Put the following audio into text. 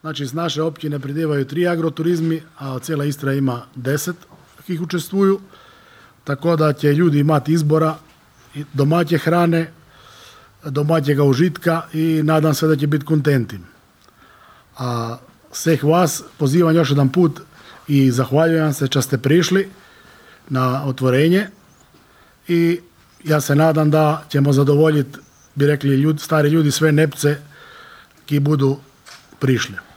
Znači, z naše općine pridevaju 3 agroturizmi, a cijela Istra ima 10 kih učestvuju, tako da će ljudi imati izbora domaće hrane, domaćega užitka i nadam se da će biti kontenti. A sveh vas pozivam još jedan put i zahvaljujem se što ste prišli na otvorenje i ja se nadam da ćemo zadovoljiti, bi rekli stari ljudi, sve nepce ki budu prišli.